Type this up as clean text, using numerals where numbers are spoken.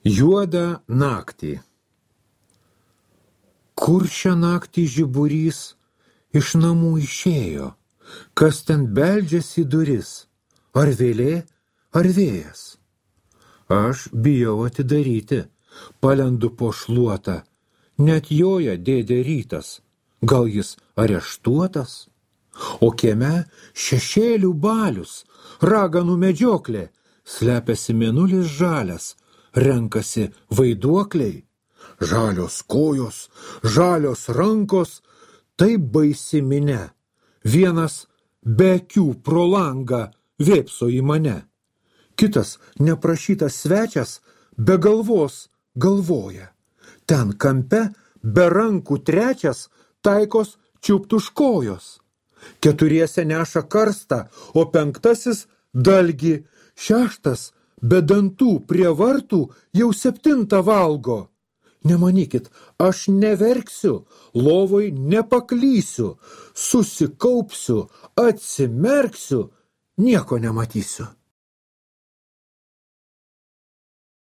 Juodą naktį. Kur šią naktį žiburys iš namų išėjo? Kas ten beldžiasi į duris? Ar vėlė, ar vėjas? Aš bijau atidaryti, palendu po šluotą. Net joja dėdė Rytas. Gal jis areštuotas? O kieme šešėlių balius, raganų medžioklė, slepiasi mėnulis žalias, renkasi vaiduokliai. Žalios kojos, žalios rankos, tai baisi minia. Vienas be akių pro langą vėpso į mane. Kitas neprašytas svečias be galvos galvoja. Ten kampe be rankų trečias taikos čiupt už kojos. Keturiese neša karstą, o penktasis dalgį, šeštas be dantų prie vartų jau 7 valgo. Nemanykit, aš neverksiu, lovoj nepaklysiu, susikaupsiu, atsimerksiu, nieko nematysiu.